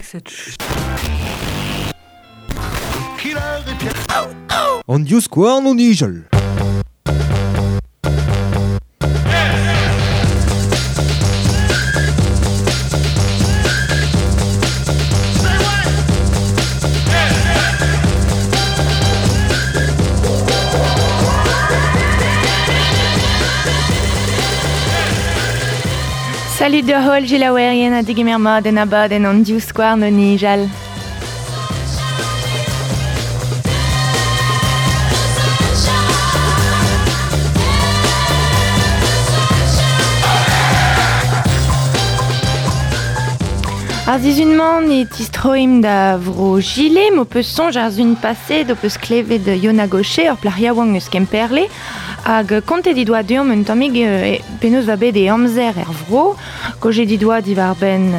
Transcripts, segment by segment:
Set An divskouarn o nijal. Salut da holl gelaouerien ha degemer mat en abadenn an divskouarn o nijal. Ar sizhun-mañ e tistroimp da vro Gile, m'ho peus soñj ar sun paset ho peus klevet Yona Gaucher, ur plac'h yaouank eus Kemperle, hag kontet he doa deomp un tammig penaos oa bet e amzer er vro, Kaojet he doa diwar-benn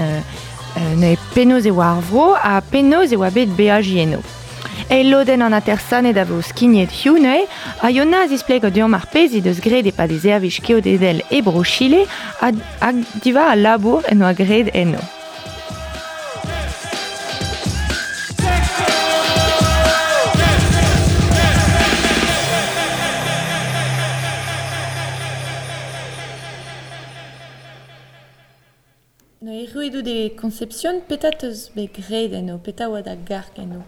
neuze penaos e oa ar vro ha penaos e oa bet beajiñ eno. Eil lodenn an atersaned a vo skignet hiziv neuze ha Yona a zisplego deomp ar pezh he deus graet e-pad he servij keodedel e Bro-Chile hag diwar al labour en doa graet eno. Erruet out e Concepción, petra 'teus bet graet eno? Petra oa da garg eno?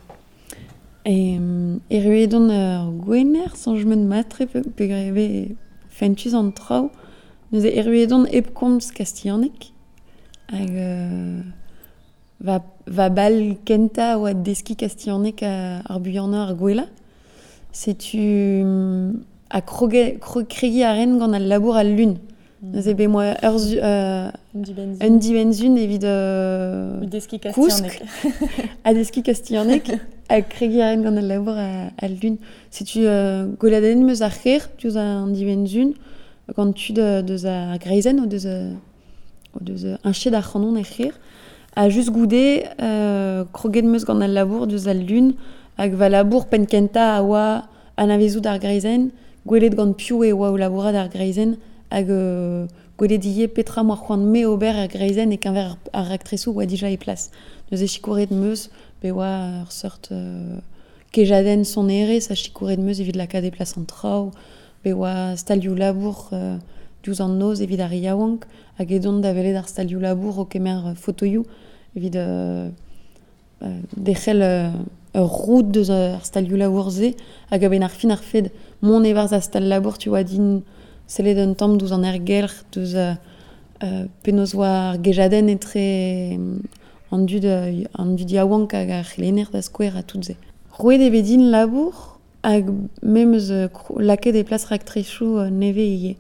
Erruet on ur gwener, soñj 'm eus mat-tre peogwir e vez fentus an traoù. Neuze erruet on hep komz kastilhaneg hag va bal kentañ a oa deskiñ kastilhaneg ar buanañ ar gwellañ. Setu ha kregiñ a ran gant al labour al lun. Neuze bet 'moa ur un dibenn-sizhun evit deskiñ kousk ha deskiñ kastilhaneg ha kregiñ a ran gant al labour al lun. Setu gweladennet 'm eus ar c'hêr diouzh an dibenn-sizhun gant tud deus ar greizenn o deus o deus heñchet ac'hanon er c'hêr. Ha just goude kroget 'm eus gant al labour diouzh al lun hag va labour penn-kentañ a oa anavezout ar greizenn, gwelet gant piv e oa o labourat ar greizenn hag gwelet ivez petra 'moa c'hoant-me ober er greizenn e-keñver ar raktresoù oa dija e plas. Neuze sikouret 'm eus, pe oa ur seurt kejadenn sonerezh ha sikouret 'm eus evit lakaat e plas an traoù, pe oa stalioù-labour diouzh an noz evit ar re yaouank hag edont da welet ar stalioù-labour o kemer fotoioù evit derc'hel ur roud deus ar stalioù-labour-se hag a-benn ar fin ar fed mont e-barzh ar stal-labour tu oa din sellet un tamm diouzh an aergelc'h, deus penaos oa ar gejadenn etre an dud an dud yaouank hag ar c'helenner da skouer ha tout se. Roet e vez din labour hag me 'm eus lakaet e plas raktresoù nevez ivez.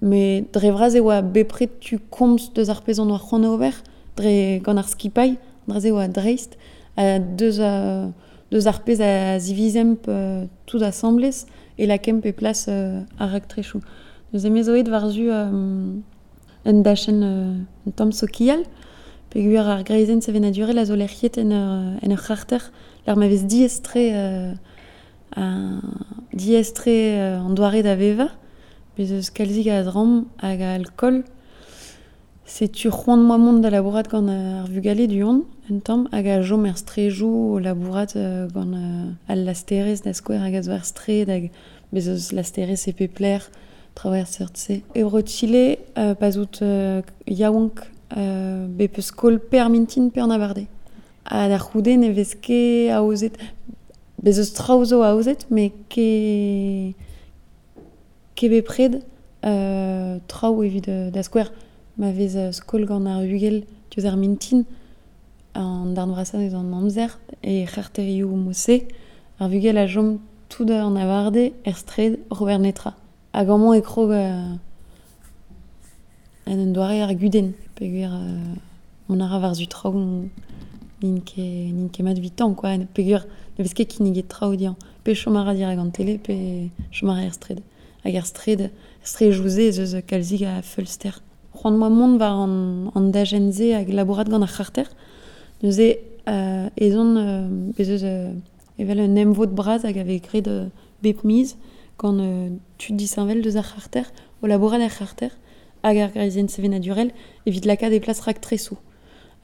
Met dre vras e oa bepred tu komz deus ar pezh on oa c'hoant ober dre gant ar skipailh, an dra-se oa dreist. Deus deus ar pezh a zivizemp tout asambles e lakaemp e plas ar raktresoù. Neuze me zo aet war-zu un dachenn un tamm sokial peogwir ar greizenn sevenadurel a zo lec'hiet en ur en ur c'harter lec'h ma vez diaes-tre diaes-tre an doare da vevañ. Bez' eus kalzik a dramm hag a alkool. Setu c'hoant 'moa mont da labourat gant ar vugale du-hont un tamm hag a chom er straejoù o labourat gant al lasterezh da skouer hag a zo er straed hag bez' eus lasterezh e pep lec'h, traoù er seurt-se. E Bro-Chile pa'z out yaouank bet peus skol pe ar mintin pe an abardaez. Ha da c'houde ne vez ket aozet, bez' eus traoù zo aozet met ket ket bepred traoù evit da skouer ma vez skol gant ar bugel diouzh ar mintin an darn vrasañ eus an amzer e c'harterioù mod-se ar vugel a chom tout an abardaez er straed oc'h ober netra. Hag amañ e krog en un doare ar gudenn peogwir mont a ra war-zu traoù n'int ket n'int ket mat evitañ quoi peogwir ne vez ket kinniget traoù dezhañ. Pe chom a ra dirak an tele pe chom a ra er straed. Hag er straed, er straejoù-se ez eus kalzik a feulster. C'hoant 'moa mont war an dachenn-se hag labourat gant ar c'harter. Neuze ez on bez' eus evel un emvod bras hag a vez graet bep miz gant tud disheñvel deus ar c'harter, o labourat er c'harter hag ar greizenn sevenadurel evit lakaat e plas raktresoù.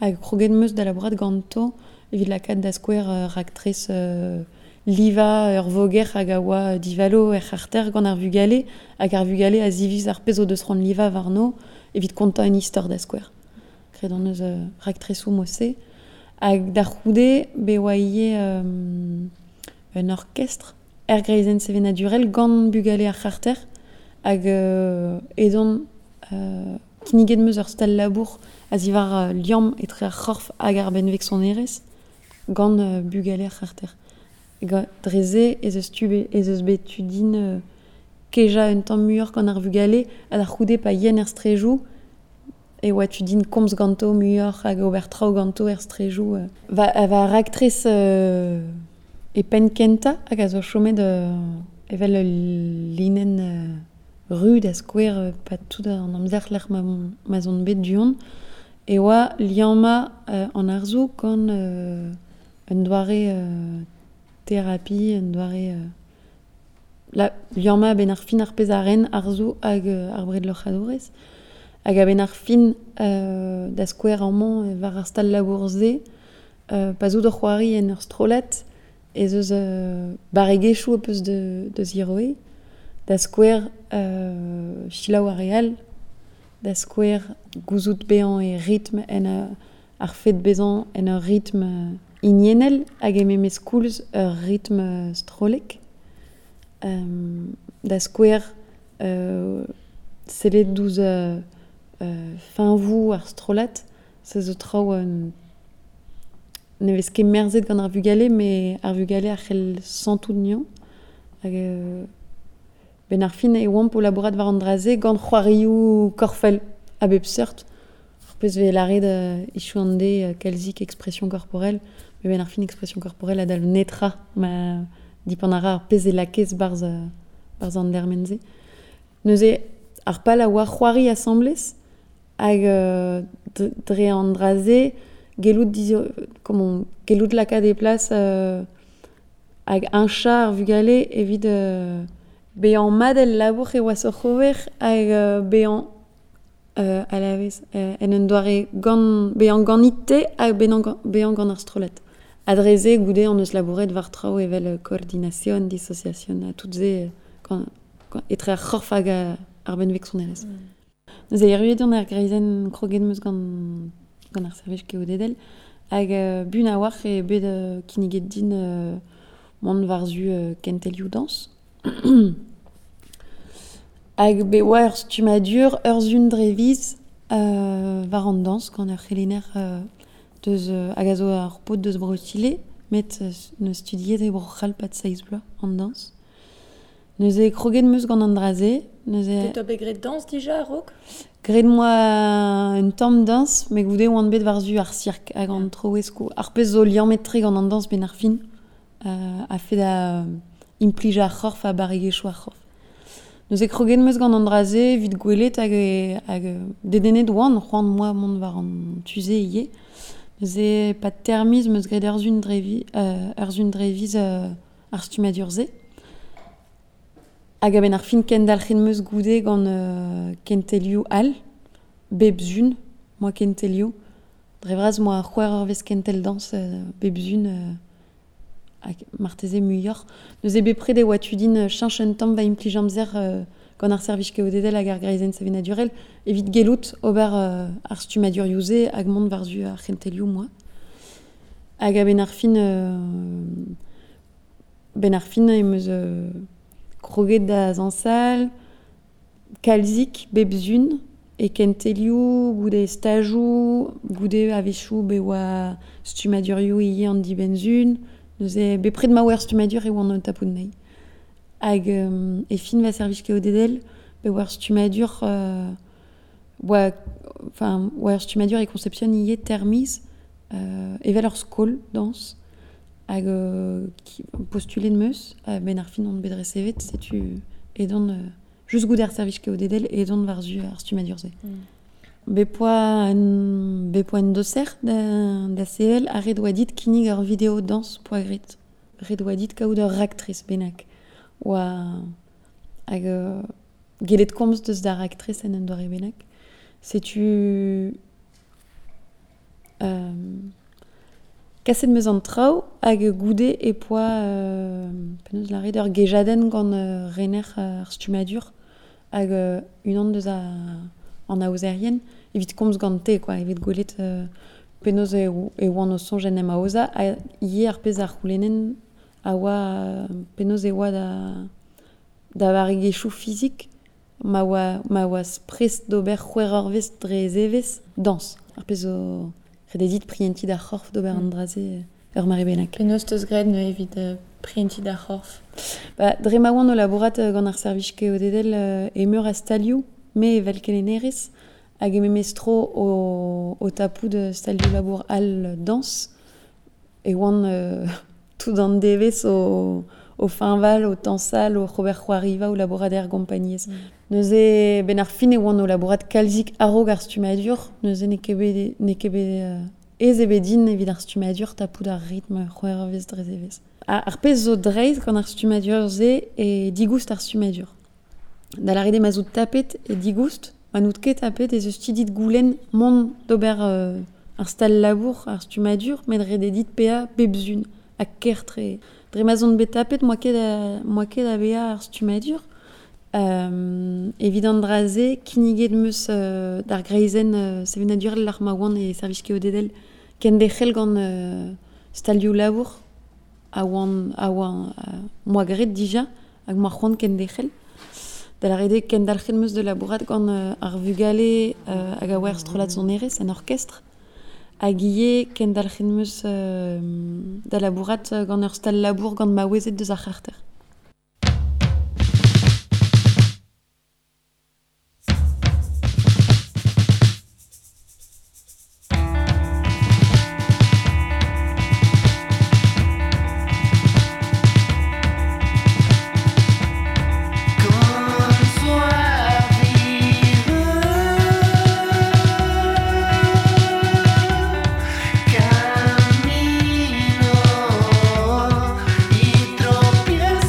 Hag kroget meus da labourat ganto evit lakaat da skouer raktres liva ur voger hag a oa divalo er c'harter gant ar vugale hag ar vugale a ziviz ar pezh o deus c'hoant liva warno evit kontañ un istor da skouer. Graet hon eus raktresoù mod-se. Hag da c'houde be oa ivez un orkestr er greizenn sevenadurel gant bugale ar c'harter hag edon kinniget meus ur stal labour a ziwar liamm etre ar c'horf hag ar benveg sonerezh gant bugale ar c'harter. Dre se ez eus tu ez eus bet tu din kejañ un tamm muioc'h gant ar vugale ha da c'houde pa yen er strejoù e oa tu din komz ganto muioc'h hag ober traoù ganto er strejoù. Va raktres e penn kentañ hag a zo chomet evel ul linenn ru da skouer pa tout an amzer lec'h ma 'z on bet du-hont e oa liammañ an arzoù gant un doare thérapie, un doare la liammañ a-benn ar fin ar pezh a ren arzoù hag ar bredloc'hadourez. Hag a-benn ar fin da skouer amañ war ar stal labour-se pa zo d'ur c'hoari en ur strollad ez eus barregezhioù peus da ziroe, da skouer selaou ar re all, da skouer gouzout bezañ e ritm en ar fed bezañ en ur ritm hiniennel hag e memes koulz ur ritm strollek. Da skouer sellet douzh fiñvoù ar strollad, se zo traoù ne vez ket merzet gant ar vugale, met ar vugale a c'hell santout anezhañ. Hag ben ar fin e oamp o labourat war an dra-se gant c'hoarioù korfel a bep seurt. Ar pezh vez lâret hiziv an deiz kalzik expression corporelle, met ben ar fin expression corporelle a dalv netra ma dipant a ra ar pezh e lakez barzh an dermen-se. Neuze ar pal a oa c'hoari asambles hag dre an dra-se gellout comment gellout lakaat e plas hag heñchañ ar vugale evit bezañ mat el labour e oa oc'h ober hag bezañ a-la-vez en un doare gant bezañ ganit-te hag bezañ gant ar strollad. Ha dre se goude hon eus labouret war traoù evel coordination, dissociation ha tout se etre ar c'horf hag ar benveg sonerezh. Neuze erruet on er greizenn kroget 'm eus gant ar servij keodedel hag buan a-walc'h eo bet kinniget din mont war-zu kentelioù dañs. Hag bet oa ur stummadur ur sun dre viz war an dañs gant ur c'helenner deus hag a zo ar paotr deus Bro-Chile met neus studiet e Bro-C'hall pad seizh bloaz an dañs. Neuze kroget 'm eus gant an dra-se. Neuze Te bet graet dañs dija a-raok? Graet 'moa un tamm dañs, met goude oan bet war-zu ar sirk hag an troeskoù. Ar pezh zo liammet-tre gant an dañs benn ar fin a-fet da implij ar c'horf ha barregezhioù ar c'horf. Neuze kroget 'm eus gant an dra-se evit gwelet hag dedennet oan c'hoant 'moa mont war an tu-se ivez. Neuze pad teir miz 'm eus graet ur sun dre viz ar stummadur-se. Hag a-benn ar fin kendalc'het 'm eus goude gant kentelioù all, bep sun, 'moa kentelioù. Dre vras 'moa c'hwec'h eurvezh kentel dañs bep sun hag marteze muioc'h. Neuze bepred e oa tu din cheñch un tamm va implij amzer gant ar servij keodedel hag ar greizenn sevenadurel evit gellout ober ar stummadurioù-se hag mont war-zu ar c'hentelioù 'moa. Hag a-benn ar fin benn ar fin em eus kroget da zañsal, kalzik bep sun e kentelioù, goude stajoù, goude a-wechoù bet oa stummadurioù ivez an dibenn-sun. Neuze bepred ma oa ur stummadur e oan o tapout anezhi. Hag e fin va servij keodedel, bet oa ur stummadur oa enfin oa ur stummadur e Concepción ivez teir miz evel ur skol dañs. Hag postulet 'm eus, a-benn ar fin on bet resevet, setu edon just goude ar servij keodedel edon war-zu ar stummadur-se. Bet poa un doser da sevel ha ret oa dit kinnig ur video dañs poa graet. Ret oa dit kaout ur raktres bennak. Oa hag gellet komz deus da raktres en un doare bennak. Setu Kaset meus an traoù hag goude e poa penaos lâret ur gejadenn gant rener ar stummadur hag unan deus an aozerien evit komz gante quoi, evit gwelet penaos e oan o soñj en em aozañ ha ivez ar pezh a c'houlennen a oa penaos e oa da varregezhioù fizik ma oa prest d'ober c'hwec'h eurvezh dre zevezh dañs. Ar pezh zo rededit prientiñ d'ar c'horf d'ober an dra-se ur mare bennak. Penaos teus graet neuze evit prientiñ d'ar c'horf? Ba, dre ma oan o labourat gant ar servij keodedel e meur a stalioù, me evel kelennerez, hag e memes tro o tapout stalioù labour all dañs, e oan tout an devezh o fiñval, o tañsal, o c'hober c'hoariva, o labourat er gompagnez. Neuze ben ar fin e oan o labourat kalzik a-raok ar stummadur, neuze n'eo ket bet ez ebet din evit ar stummadur tapout ar ritm c'hwec'h eurvezh dre zevezh. Ar pezh zo dreist gant ar stummadur-se e digoust ar stummadur. Da lâret eo ma zo tapet e digoust, ma n'out ket tapet ez eus ti dit goulenn mont d'ober ar stal labour, ar stummadur, met ret eo dit paeañ bep sun ha ker-tre. Dre ma zon bet tapet, moa ket a vezañ ar stummadur. Evit an dra-se, kinniget meus d'ar greizenn sevenadurel ar ma oan e servij keodedel kenderc'hel gant stalioù labour a oan moa graet dija hag moa c'hoant kenderc'hel. Da lâret eo kendalc'het meus da labourat gant ar vugale hag a oa er strollad sonerezh en orkestr. Hag ivez kendalc'het meus da labourat gant ur stal labour gant maouezed deus ar c'harter. Camino y tropieza.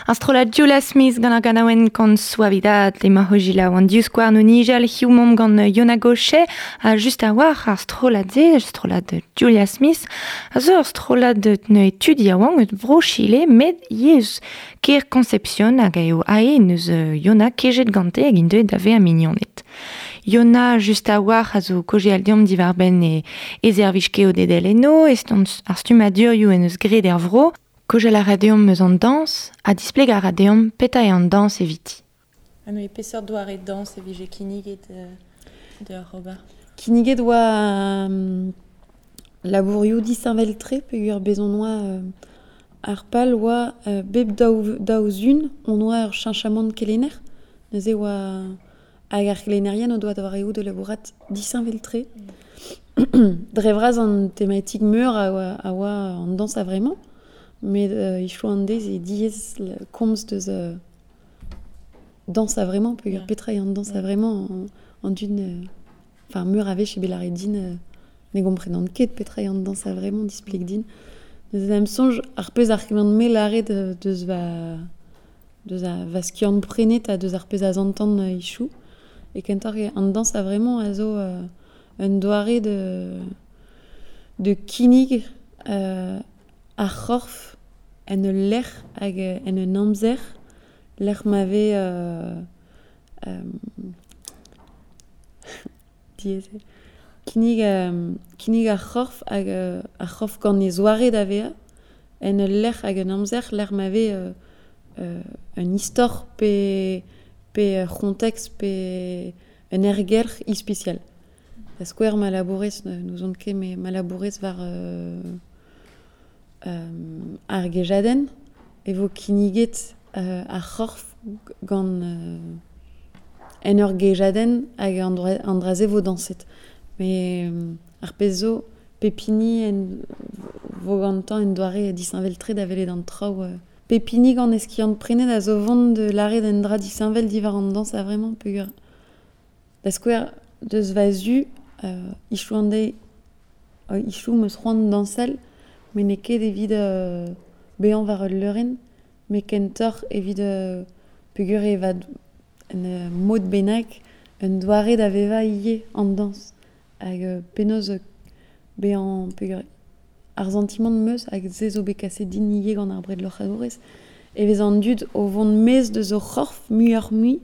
Ar strollad Julia Smith gant ar ganaouenn gant Suavidad emañ hojila an divskouarn o nijal hiziv momp gant Yona Gaucher ha just a-walc'h ar strollad-se, strollad Julia Smith, a zo ur strollad neuze tud yaouank eus bro Chile met ivez kêr Concepción hag eo ae neus Yona kejet gante hag int deuet da vezañ mignoned. Yona just a-walc'h a zo kaozeal deomp diwar-benn e servij keodedel eno, e ar stummadurioù en eus graet er vro, Kaozeal a ra deomp eus an dañs ha displeg a ra deomp petra eo an dañs eviti. Ha neuze peseurt doare dañs e vije kinniget deoc'h ober? Kinniget oa labourioù disheñvel-tre peogwir bez' hon oa ar pal oa bep daou zun hon oa ur cheñchamant kelenner. Neuze oa hag ar gelennerien o doa doareoù da labourat disheñvel-tre. Dre vras an tematik meur a oa an dañs a-vremañ. Met hiziv an deiz eo diaes komz deus dañs a-vremañ peogwir petra eo an dañs a-vremañ an dud enfin meur a wech eo bet lâret din ne gomprenan ket petra eo an dañs a-vremañ displeg din. Neuze da'm soñj ar pezh a c'hellan-me lâret deus va deus va skiant-prenet ha deus ar pezh a zantan hiziv e kentoc'h eo an dañs a-vremañ a zo un doare de kinnig ar c'horf en ul lec'h hag en un amzer lec'h ma vez diaes eo kinnig ar c'horf hag ar c'horf gant e zoare da vezañ en ul lec'h hag un amzer lec'h ma vez un istor pe ur c'hontekst pe un aergelc'h ispisial. Da skouer ma labourez n'ouzon ket met ma labourez war ar gejadenn e vo kinniget ar c'horf gant en ur gejadenn hag an dra-se vo dañset. Met ar pezh zo pep hini en vo gantañ un doare disheñvel-tre da welet an traoù. Pep hini gant e skiant-prenet a zo vont da lâret un dra disheñvel diwar an dañs a-vremañ peogwir da skouer deus va zu hiziv an deiz hiziv 'm eus c'hoant dañsal met n'eo ket evit bezañ war ul leurenn, met kentoc'h evit peogwir eo va un mod bennak un doare da vevañ ivez an dañs. Hag penaos bezañ peogwir ar santimant 'm eus hag se zo bet kaset din ivez gant ar bredloc'hadourez e vez an dud o vont maez deus o c'horf muioc'h-mui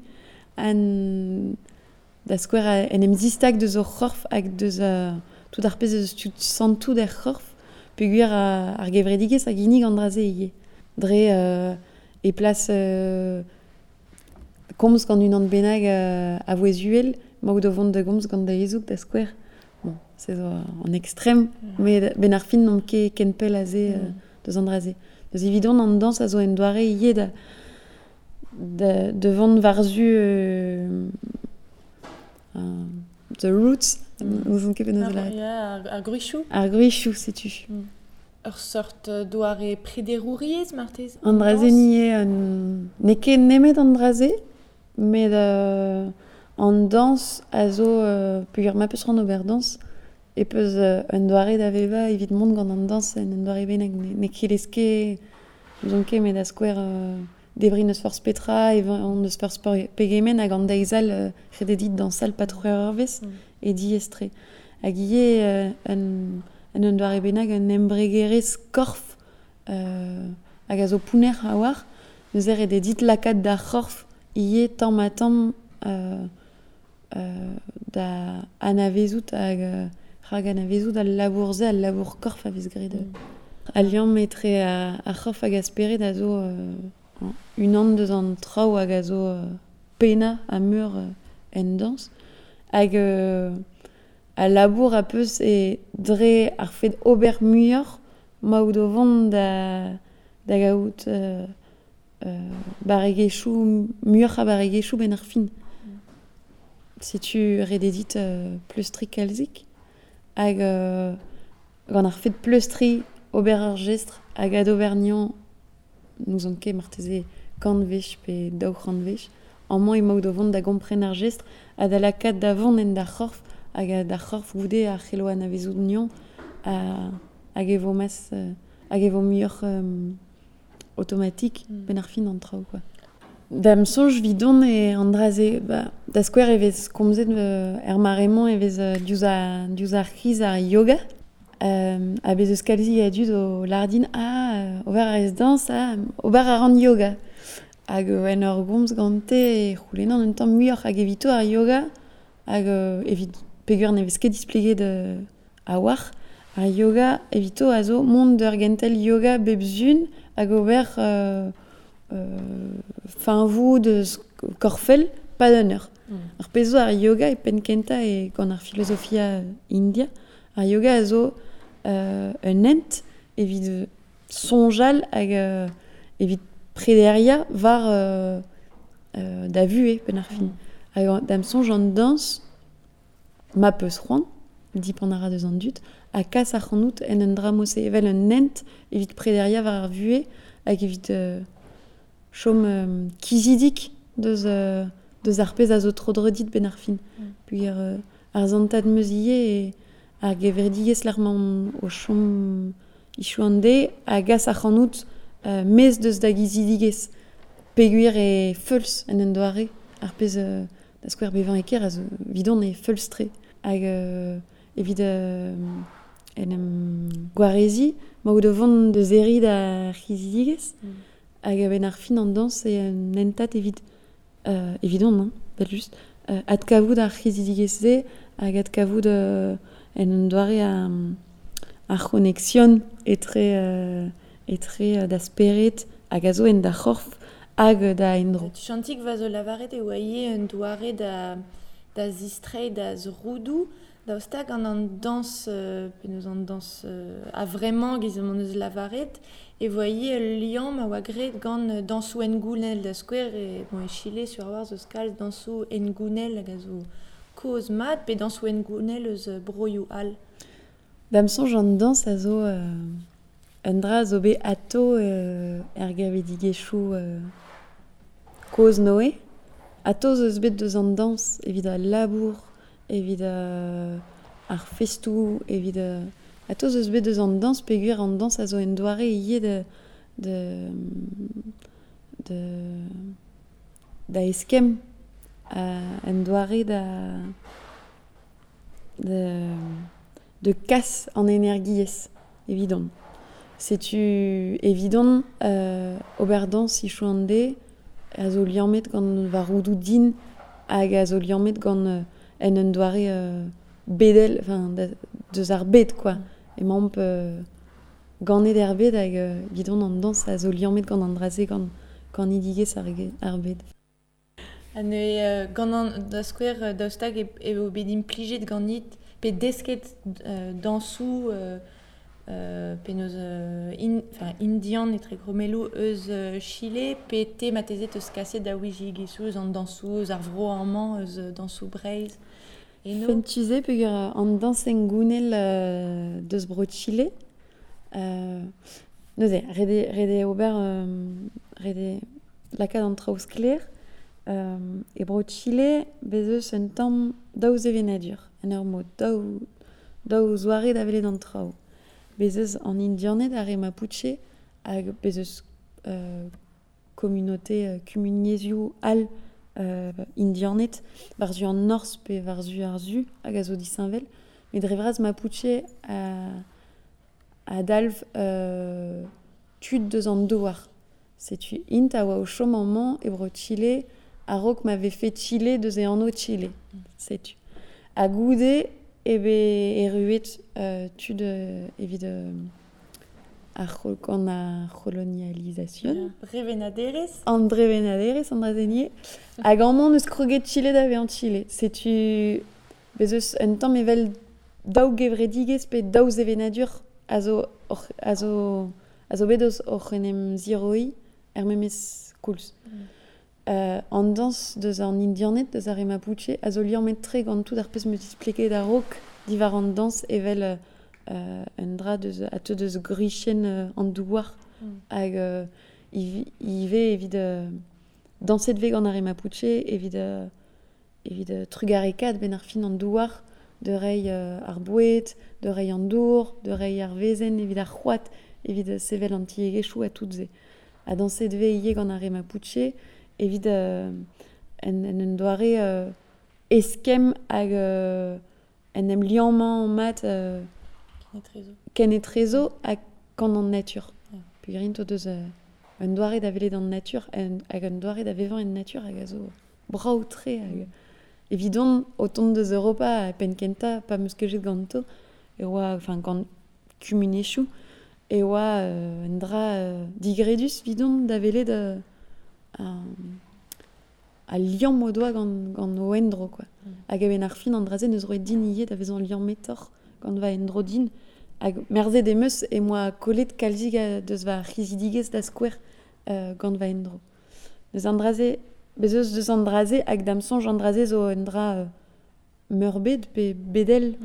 da skouer en em zistag deus o c'horf hag deus tout ar pezh eus tud santout er c'horf peogwir ar gevredigezh a ginnig an dra-se ivez. Dre e plas komz gant unan bennak a vouezh uhel, emaout o vont da gomz gant da hezoug da skouer. Bon, se zo an ekstrem, met benn ar fin n'omp ket ken pell aze deus an dra-se. Deus evidon an dañs a zo un doare ivez da vont war-zu the roots, n'ouzon ket penaos lâret. Ar gwrizioù. Ar gwrizioù, setu. Ur seurt doare prederouriezh marteze? An dra-se eo n'eo ket nemet an dra-se, met an dañs a zo peogwir ma peus c'hoant ober dañs e peus un doare da vevañ evit mont gant an dañs en un doare bennak. N'eo ket ket n'ouzon ket met da skouer debriñ n'eus forzh petra, evañ n'eus forzh pegement hag an deiz all ret eo dit dañsal pa tro ur eurvezh e diaes-tre. Hag ivez en un doare bennak un embregerezh korf hag a zo pounner a-walc'h. Neuze ret eo dit lakaat da c'horf ivez tamm-ha-tamm da anavezout hag rak anavezout al labour-se, al labour korf a vez graet. Al liamm etre ar c'horf hag ar spered a zo unan deus an traoù hag a zo pennañ ha meur en dañs. Hag al labour a peus eo dre ar fed ober muioc'h emaout o vont da gaout barregezhioù, muioc'h a barregezhioù benn ar fin. Setu ret eo dit pleustriñ kalzik hag gant ar fed pleustriñ ober ur jestr hag adober anezhañ n'ouzon ket marteze kant wech pe 200 wech. Amañ emaout o vont da gompren ar jestr ha da lakaat da vont en da c'horf hag da c'horf goude ar c'hello anavezout anezhañ hag e vo mas hag e vo muioc'h o automatik ben ar fin an traoù, quoi. Da'm soñj 'vidon e an dra-se, ba, da skouer e vez komzet er mare-mañ e vez diouzh ar c'hiz ar yoga. Ha bez eus kalzi a dud o lardin ah, ober a rez dañs, ah, ober a ran yoga. Hag en ur gomz gante e c'houlennan un tamm muioc'h hag evito ar yoga, hag evit peogwir ne vez ket displeget a-walc'h, ar yoga evito a zo mont d'ur gentel yoga bep sun hag ober fiñvoù deus korfel pad un eur. Ar pezh zo ar yoga e penn kentañ e gant ar filozofia India. Ar yoga a zo un hent evit soñjal hag evit prederiañ war da vuhez penn ar fin. Hag da'm soñj an dañs ma peus c'hoant, dipant a ra deus an dud, ha kas ac'hanout en un dra mod-se evel un hent evit prederiañ war ar vuhez hag evit chom kizidik deus ar pezh a zo tro-dro dit benn ar fin. Peogwir ar santad 'm eus ivez e ar gevredigezh lec'h 'maon o chom hiziv an deiz a gas ac'hanout maez deus da gizidigezh peogwir e feuls en un doare ar pezh da skouer bevañ e kêr a zo 'vidon e feuls-tre. Hag evit en em gwareziñ ma out o vont da serriñ da c'hizidigezh hag a-benn ar fin an dañs eo un hentad evit evidon hein, evel-just adkavout ar c'hizidigezh-se hag adkavout en un doare ar c'honeksion etre etre da spered hag a zo en da c'horf hag da endro. Chantik va zo lavaret e oa ivez un doare da zistreiñ da zroudoù daoust hag gant an dañs penaos an dañs a-vremañ giz m'hon eus lavaret e voa ivez ul liamm a oa graet gant dañsoù hengounel da skouer e, bon, e Chile sur a-walc'h zo kalz dañsoù hengounel hag a zo kozh mat pe dañsoù hengounel eus broioù all. Da'm soñj an dañs a zo un dra a zo bet atao er gevredigezhioù kozh Noe. Atao zo eus bet deus an dañs evit al labour, evit ar festoù, evit atao zo eus bet deus an dañs peogwir an dañs a zo un doare ivez de de da eskemm, un doare da de kas an energiezh evidon. Setu evidon ober dañs hiziv an deiz a zo liammet gant va roudoù din hag a zo liammet gant en un doare bedel, enfin deus ar bed quoi. Emaomp ganet er bed hag evidon an dañs a zo liammet gant an dra-se gant kanidigezh ar bed. Ha neuze gant an da skouer daoust hag eo bet implijet ganit pe desket dañsoù penaos indian etre gromelloù eus Chile pe te marteze teus kaset da ouiziegezhioù eus an dañsoù eus ar vro amañ eus dañsoù Breizh eno. Fentus eo peogwir an dañs hengounel deus bro Chile. Neuze ret eo ober ret eo lakaat an traoù sklaer. E bro Chile bez eus un tamm daou sevenadur en ur mod daou zoare da welet an traoù. Bez eus an Indianed ar re Mapuche hag bez eus communauté kumuniezhioù all Indianed war-zu an norzh pe war-zu ar su hag a zo disheñvel. Met dre vras Mapuche a dalv tud deus an douar. Setu int a oa o chom amañ e bro Chile a-raok ma vefe Chile deus e anv Chile. Setu. Ha goude eo bet erruet tud evit gant ar c'holonialization. Drevenaderezh. An drevenaderezh, an dra-se Hag amañ n'eus kroget Chile da vezañ Chile. Setu bez eus un tamm evel daou gevredigezh pe daou sevenadur a zo bet eus oc'h en em ziroiñ er memes koulz. An dañs deus an Indianed, deus ar re Mapuche, a zo liammet-tre gant tout ar pezh 'm eus displeget a-raok diwar an dañs evel un dra deus a teu deus gwrizienn an douar hag ivez evit dañset 'vez gant ar re Mapuche evit trugarekaat benn ar fin an douar de reiñ ar boued, de reiñ an dour, de reiñ ar wezenn evit ar c'hoad, evit sevel an tiegezhioù ha tout se. A danset ve ivez gant ar re Mapuche evit en un doare eskemm hag en em liammañ mat ken etrezo hag gant an natur. Peogwir o deus un doare da welet an natur hag un doare da vevañ en natur hag a zo brav-tre hag evidon o tont deus Europa a penn kentañ pa 'm eus kejet ganto e oa enfin gant kumuniezhioù e oa un dra digredus evidon da welet al liamm o doa gant o endro quoi. Hag a-benn ar fin an dra-se neus roet din ivez da vezañ liammetoc'h gant va endro din. Hag merzet em eus e moa kollet kalzik deus va c'hizidigezh da skouer gant va endro. Deus an dra-se, bez eus deus an dra-se hag da'm soñj an dra-se zo un dra meurbet pe bedel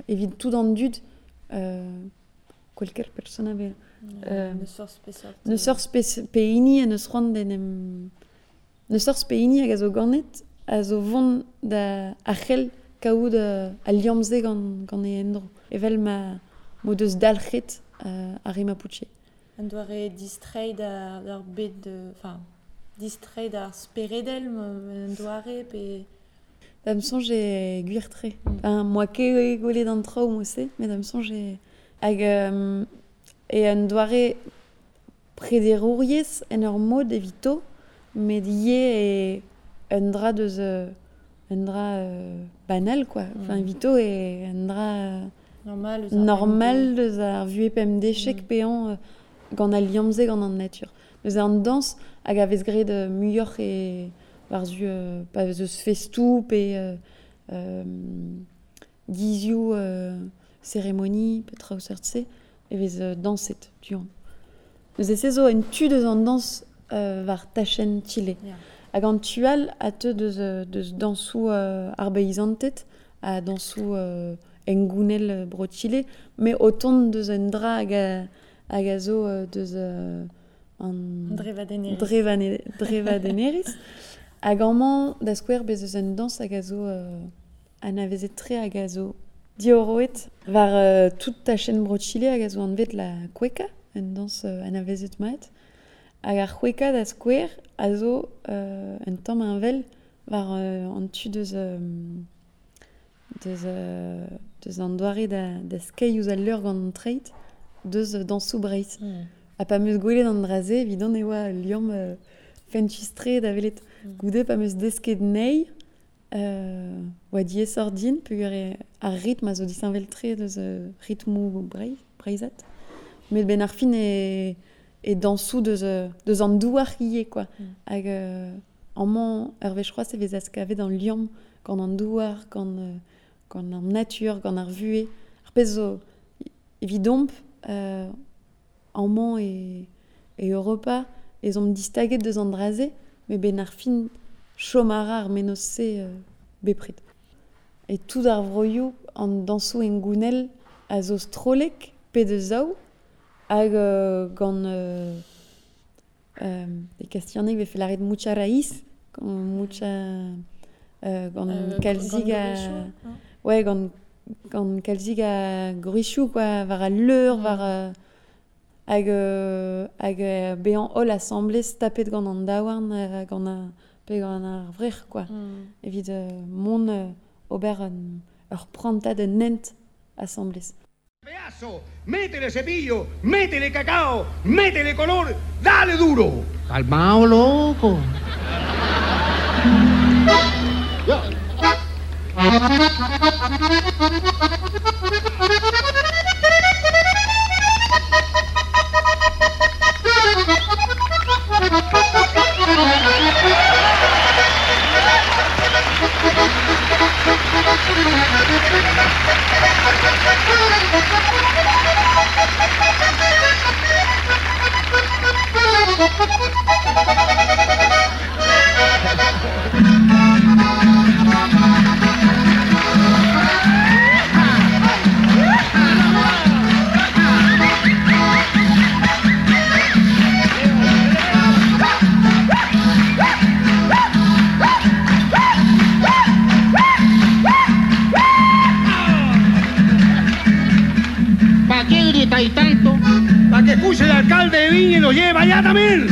evit tout an dud cualquier persona be neus forzh pehini en eus c'hoant d'en em neus forzh pehini hag a zo ganet a zo vont da a c'hell kaout al liamm-se gant e endro evel ma m'o deus dalc'het ar re Mapuche. Un doare distreiñ d'ar bed enfin distreiñ d'ar speredel un doare pe Da'm soñj eo gwir-tre. Enfin, moa ket gwelet an traoù mod-se, met da'm soñj eo hag e un doare prederouriezh en ur mod evito, met ivez e un dra deus un dra banal quoi. Enfin, evito eo un dra normal deus ar vuhez pemdechek peañ gant al liamm-se gant an natur. Neuze an dañs hag a vez graet muioc'h e war-zu pa vez eus festoù pe gizioù cérémonie pe traoù seurt-se e vez dañset du-hont. Neuze se zo un tu deus an dañs war tachenn Chile. Hag an tu all a teu deus dañsoù ar beizanted ha dañsoù hengounel bro Chile, met o tont deus un dra hag a zo deus an drevadennerezh. Hag amañ da skouer bez eus un dañs hag a zo anavezet-tre hag a zo diorroet war tout tachenn bro Chile hag a zo anvet la cueca, un dañs anavezet mat. Hag ar c'hweka da skouer a zo un tamm heñvel war an tu deus deus an doare da skeiñ ouzh al leur gant an treid deus dañsoù Breizh. Ha pa 'm eus gwelet an dra-se evidon e oa ul liamm fentus-tre da welet. Goude pa 'm eus desket anezhi oa diaesoc'h din peogwir ar ritm a zo disheñvel-tre deus ritmoù breizhat. Met benn ar fin e dañsoù deus an douar ivez quoi. Hag amañ ur wech c'hoazh e vez askavet an liamm gant an douar, gant an natur, gant ar vuhez. Ar pezh zo evidomp amañ e Europa ez omp distaget deus an dra-se, met benn ar fin chom a ra ar mennozh-se bepred. E tout ar vroioù an dañsoù hengounel a zo strollek pe deus zaou hag gant e kastillaneg vefe lâret mucha raíz, mucha gant kalzik a ouais gant kalzik a gwrizioù quoi, war al leur, war hag bezañ holl asambles tapet gant an daouarn gant ar pe gant ar vrec'h quoi. Evit mont ober ur prantad un hent asambles. Métele cepillo, métele cacao, métele color, dale duro. Calmao, loco. Ya. alcalde de Viña y lo lleva allá también.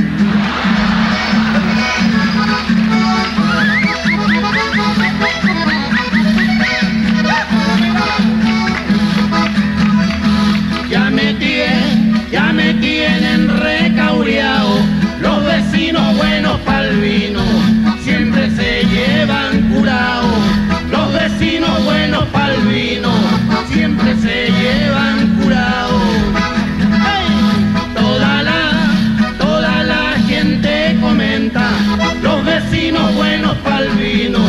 Ya me tienen recaureado, los vecinos buenos pa'l vino, siempre se llevan curao. Los vecinos buenos pa'l vino, siempre se llevan curao. ¡Hey! Toda la gente comenta, los vecinos buenos pa'l vino,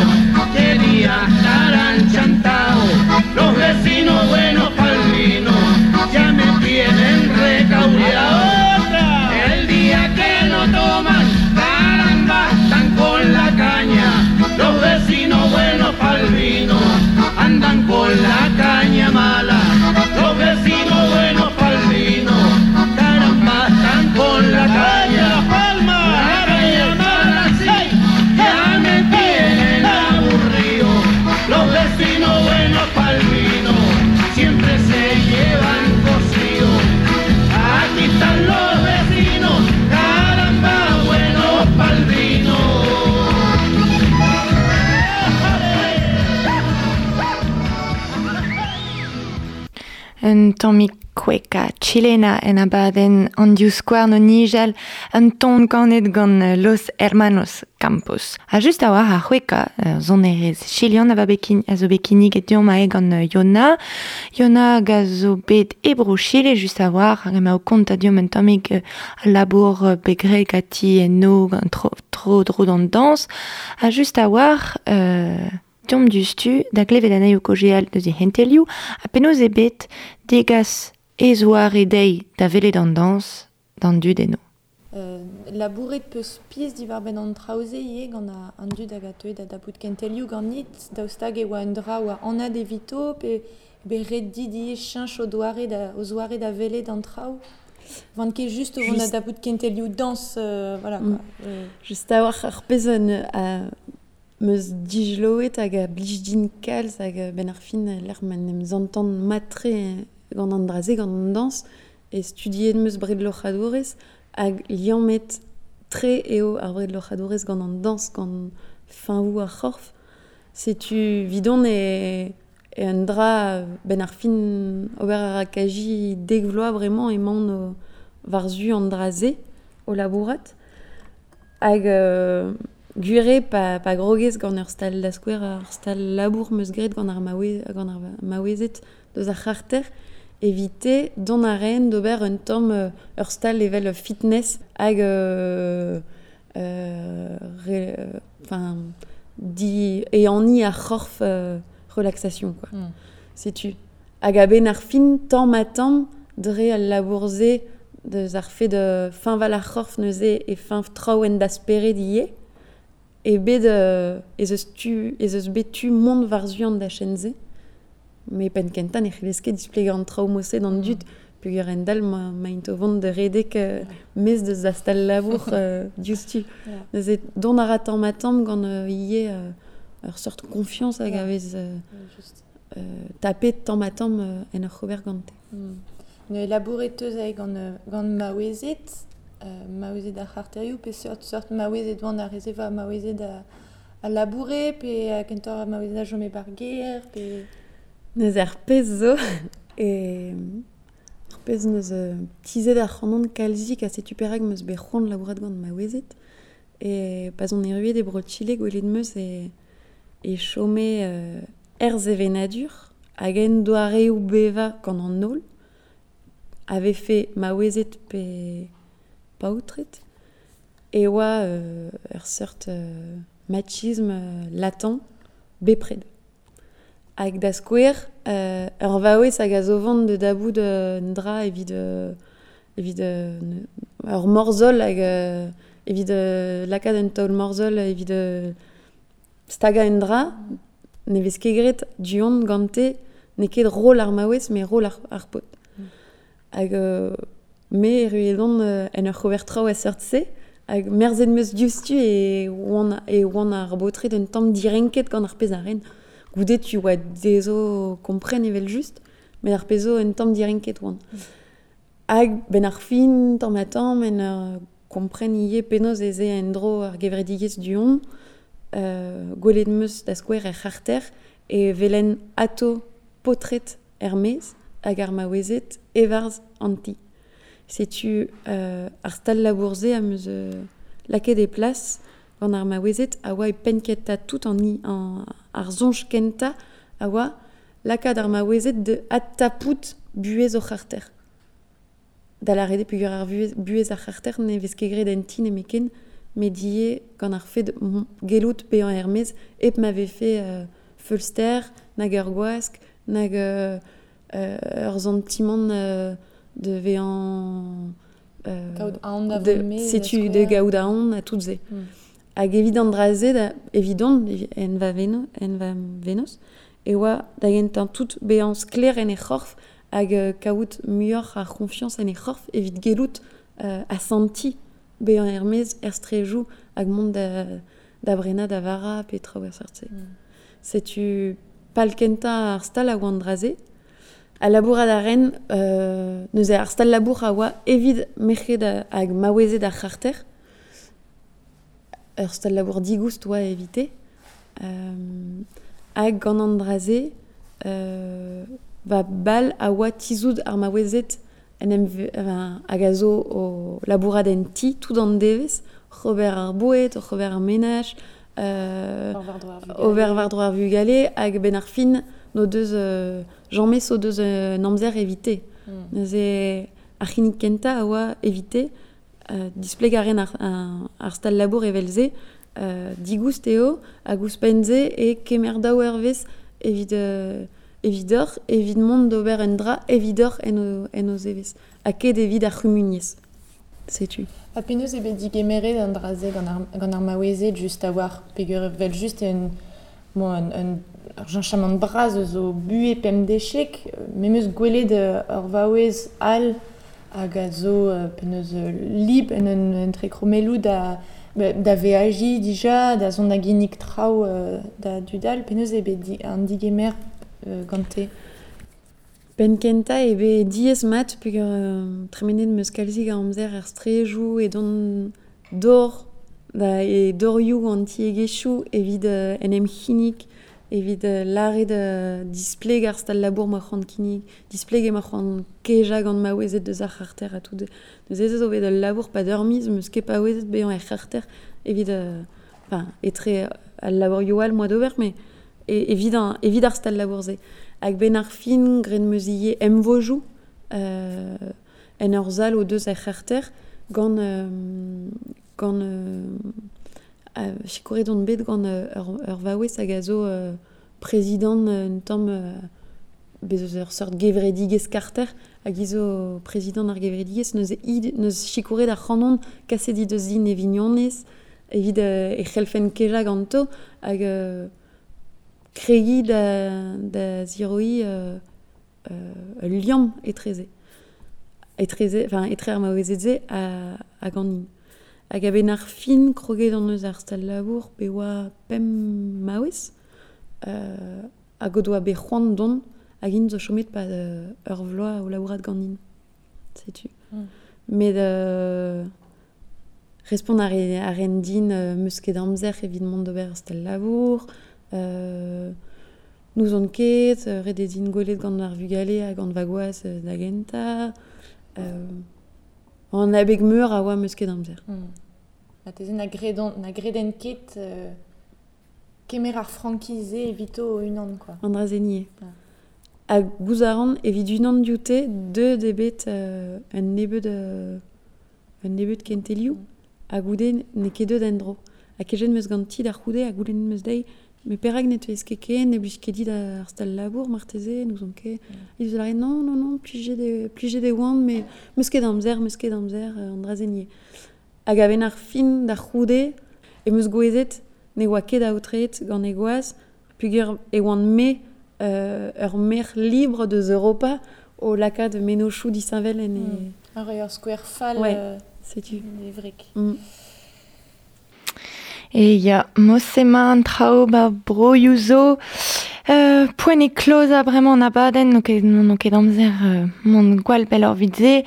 qué día estarán chantaos. Los vecinos buenos pa'l vino, ya me tienen recaureado. El día que no toman, caramba, están con la caña. Los vecinos buenos pa'l vino, andan con la caña mala. Los vecinos buenos pa'l vino, caramba, están con la caña. La caña mala, sí, ya me tienen aburrido. Los vecinos buenos pa'l vino, siempre se llevan cocido. Aquí están los vecinos, caramba, buenos pa'l vino. Un tammig kweka chilena en abadenn an diouzskouarn o nijal un ton kanet gant Los Hermanos Campos. Ha just a war ar c'hweka sonerez chilian a va bekin, a zo bekinig et deomp ae gant Yona. Yona hag a zo bet e bro Chile just a war hag ema o kont a deomp un tammig a labour begreg a ti en gant tro dro d'an dans. Ha just a war deomp dustu da klevet anezho kojeal deus e hentelioù ha penaos eo bet degas e zoare dezhi da welet an dañs d'an dud eno. Labouret peus piz diwar-benn an traoù-se ivez gant an dud hag a teue da dapout kentelioù ganit, daoust hag e oa un dra oa anat evito pe bet ret dit ivez cheñch o doare da, o zoare da welet an traoù. Vant ket just o vont da dapout kentelioù dañs, voilà quoi. Just a war ar pezh meus dijloet hag a blij din kalz hag ben ar fin l'er ma n'em zantan matre gant an draze, gant an dañs, e studiet meus bred loc'hadourez hag liammet tre eo ar bred loc'hadourez gant an dañs, gant fiñvoù ar c'horf. Setu vidon e un dra ben ar fin ober ar akaji dek vloaz bremañ emaon o war-zu an draze o labourat. Hag gwir eo pa grogez gant ur stal da skouer, ur stal labour meus graet gant ar maouezed deus ar c'harter, evite dont a raen d'ober un tamm ur stal evel fitness hag di eani ar c'horf relaxation quoi. Setu hag a-benn ar fin tamm ha tamm dre al labour-se deus ar fet de fiñval ar c'horf neuze e fiñv traoù en da spered ivez e bet ez eus bet tu mont war-zu an dachenn-se. Me penn kentañ ne c'hellez ket displegañ an traoù moset d'an dud peogwir endal ma int o vont da redek mez deus da stal labour diouzhtu. Neuze dont a ra tamm ha tamm gant ivez ur seurt confiance hag a vez tapet tamm ha tamm en ur c'hober gante. Ne labouret teus ae gant maouezed, maouezed ar c'harterioù, pe seurt maouezed oant ar rezeva maouezed a laboure, pe kentoc'h maouezed a chome bar gêr, pe... Neuze ar pezh zo, e ar pezh neus tizet ar c'hanon kalzik a setu perak meus bet c'hoant labourat gant maouezed, e pa zon erruet e bro Chile gwelet meus e chome er sevenadur hag en doareoù bevañ gant an holl, a vefe maouezed pe paotred, e oa ur seurt machisme latent bepred. Hag da skouer, ur vaouez hag a zo vont de dabout un dra evit ur morzhol hag evit lakaat un taol morzhol evit stagañ un dra, ne vez ket graet du-hont gante, n'eo ket rol ar maouez, met rol ar paotr. Hag me erruet on en ur c'hober traoù a seurt-se, hag merzet meus diouzhtu e oan ar baotred un tamm direnket gant ar pezh a ren. Goude tu oa dezho kompren evel just, met ar pezh zo un tamm direnket oan. Hag ben ar fin, tamm ha tamm, en ur kompren ivez penaos ez eo en-dro ar gevredigezh du-hont, gwelet 'm eus da skouer er c'harter e welen atao paotred er-maez hag ar maouezed e-barzh an ti. Setu ar stal-labour-se am eus lakaet e plas gant ar maouezed a oa e penn-kentañ tout an ar soñj kentañ a oa lakaat ar maouezed da adtapout buhez o c'harter. Da lâret eo peogwir ar buhez ar c'harter ne vez ket graet en ti nemetken, met ivez gant ar fed gellout bezañ er-maez hep ma vefe feulster, nag ur gwask, nag ur santimant de vezañ... Kaout aon da vont maez. Setu da gaout aon ha tout se. Hag evit an dra-se, evidon, en va venoz, e oa da gentañ tout bezañ sklaer en he c'horf hag kaout muioc'h a c'honfiañs en he c'horf evit gellout asantiñ bezañ er-maez er strejoù hag mont da brenañ da vara pe traoù er seurt-se. Setu pal kentañ ar stal a oa an dra-se. Ha labourat a ren, neuze ar stal-labour a oa evit merc'hed hag maouezed ar c'harter. Ur stal-labour digoust oa evite. Hag gant an dra-se, va bal a oa tizhout ar maouezed en em hag a zo o labourat en ti tout an devezh, oc'h ober ar boued, oc'h ober ar menaj, ober war-dro ar vugale, hag benn ar fin n'o deus james o deus un amzer evite. Neuze ar c'hinnig kentañ a oa evite, displeg a ren ar stal-labour evel-se, digoust eo, hag ouzhpenn-se e kemer daou eurvezh evit evidoc'h, evit mont d'ober un dra evidoc'h en o zevezh, ha ket evit ar c'humuniezh. Setu. Ha penaos eo bet digemeret an dra-se gant ar maouezed just a-walc'h, peogwir evel-just eo un cheñchamant bras eus o buhez pemdeziek, me 'm eus gwelet ur vaouez all hag a zo penaos lib en un entrekromelloù da veajiñ dija, da zont da ginnig traoù da dud all, penaos eo bet an digemer gante? Penn-kentañ eo bet diaes-mat peogwir tremenet 'm eus kalzik a amzer er strejoù edon dor e dorioù an tiegezhioù evit en em c'hinnig, evit lâret displeg ar stal-labour ma c'hoant kinnig, displeg ma c'hoant kejañ gant maouezed deus ar c'harter ha tout. Neuze ez zo bet ul labour pad ur miz 'm eus ket paouezet bezañ er c'harter evit enfin etre al labourioù all moa d'ober met evit ar stal-labour-se. Hag benn ar fin, graet 'm eus ivez emvojoù en ur sal o deus er c'harter gant sikouret on bet gant ur vaouez hag a zo prezidant un tamm bez eus ur seurt gevredigezh karter hag hi zo prezidant ar gevredigezh neuze hi neus sikouret ar c'hanon kaset he deus din e vignonez evit e c'hellfen kejañ ganto hag kregiñ da ziroiñ ul liamm etreze, enfin etre ar maouezed-se hag an hin. Hag a-benn ar fin, kroget on eus ar stal-labour pe oa pemp maouez hag o doa bet c'hoant dont hag int zo chomet pad ur vloaz o labourat ganin. Setu. Met respont a ren din 'm eus ket amzer evit mont d'ober ar stal-labour, n'ouzon ket, ret eo din gwelet gant ar vugale ha gant va gwaz da gentañ. An abeg meur a oa 'm eus ket amzer. Marteze na greden ket kemer ar frankiz-se evito o-unan, quoi. An dra-se nie. Ha gouzout a ran evit unan dioute deuet eo bet un nebeud kentelioù ha goude n'eo ket deuet en-dro. Ha kejet 'm eus ganti da c'houde ha goulennet 'm eus dezhi met perak ne teuez ket ken, ne blij ket dit ar stal-labour marteze, n'ouzon ket. He deus lâret non, non, non, plijet e oan, met 'm eus ket amzer, an dra-se nie. Hag a-benn ar fin da c'houde em eus gouezet ne oa ket aotreet gant e gwaz peogwir e oan me ur maer libre deus Europa o lakaat mennozhioù disheñvel en e... Ar ur skouer fall setu. E wreg. E ya, mosema an traoù ba broioù zo. Poent e klozañ bremañ an abadenn, n'o ket amzer mont gwall pell ur vit se.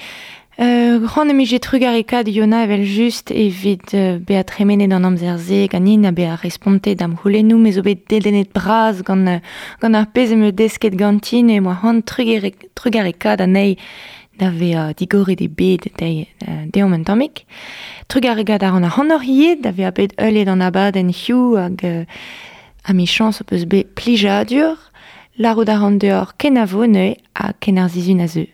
C'hoant em ije trugarekaat Yona evel just evit bezañ tremenet an amzer-se ganin ha bezañ respontet da'm c'houlennoù me zo bet dedennet bras gant gant ar pezh em eus desket ganti ne moa c'hoant trugarekaat anezhi da vezañ digoret e bed dezhi deomp un tammig. Trugarekaat a ran ac'hanoc'h ivez da vezañ bet heuliet an abadenn hiziv hag ha 'michañs ho peus bet plijadur. Lârout a ran deoc'h kenavo neuze ha ken ar sizhun a zeu.